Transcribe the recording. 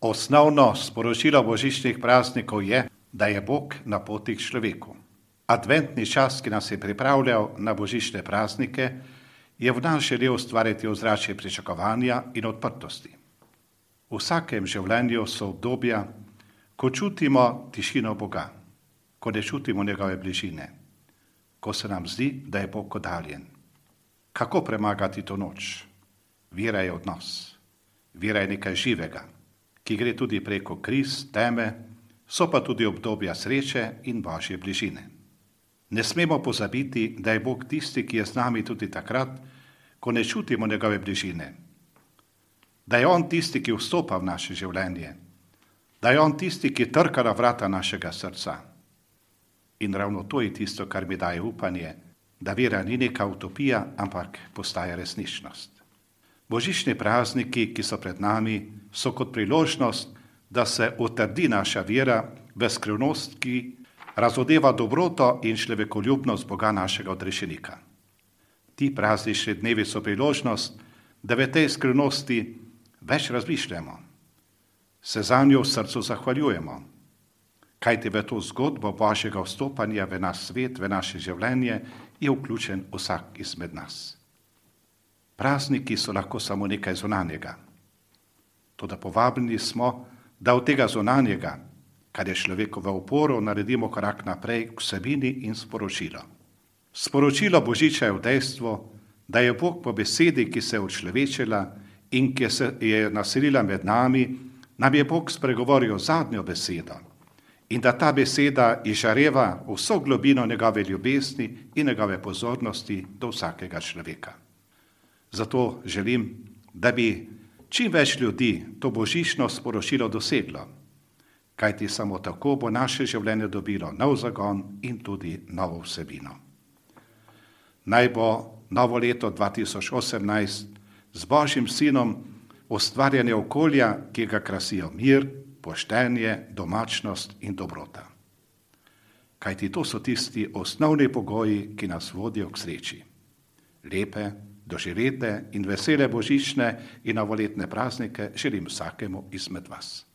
Osnovno sporočilo božičnih praznikov je, da je Bog na poti k človeku. Adventni čas, ki nas je pripravljal na božične praznike, je v nas želel ustvariti ozračje pričakovanja in odprtosti. V vsakem življenju so obdobja, ko čutimo tišino Boga, ko ne čutimo njegove bližine, ko se nam zdi, da je Bog oddaljen. Kako premagati to noč? Vera je odnos. Vera je nekaj živega, ki gre tudi preko kriz, teme, so pa tudi obdobja sreče in Božje bližine. Ne smemo pozabiti, da je Bog tisti, ki je z nami tudi takrat, ko ne čutimo njegove bližine. Da je on tisti, ki vstopa v naše življenje. Da je on tisti, ki trka na vrata našega srca. In ravno to je tisto, kar mi daje upanje, da vera ni neka utopija, ampak postaja resničnost. Božični prazniki, ki so pred nami, so kot priložnost, da se utrdi naša vera v skrivnost, ki razodeva dobroto in človekoljubnost Boga našega odrešenika. Ti praznični dnevi so priložnost, da v tej skrivnosti več razmišljamo, se zanjo v srcu zahvaljujemo, kajti v to zgodbo Božjega vstopanja v naš svet, v naše življenje je vključen vsak izmed nas. Prazniki so lahko samo nekaj zunanjega. Toda povabljeni smo, da od tega zunanjega, kar je človekovo oporo, naredimo korak naprej k vsebini in sporočilo. Sporočilo božiča je v dejstvo, da je Bog po besedi, ki se je učlovečila in ki se je naselila med nami, nam je Bog spregovoril zadnjo besedo in da ta beseda izžareva vso globino njegove ljubezni in njegove pozornosti do vsakega človeka. Zato želim, da bi čim več ljudi to božično sporočilo doseglo, kajti samo tako bo naše življenje dobilo nov zagon in tudi novo vsebino. Naj bo novo leto 2018 z Božjim sinom ustvarjanje okolja, ki ga krasijo mir, poštenje, domačnost in dobrota. Kajti to so tisti osnovni pogoji, ki nas vodijo k sreči. Lepe, doživete in vesele božične in novoletne praznike želim vsakemu izmed vas.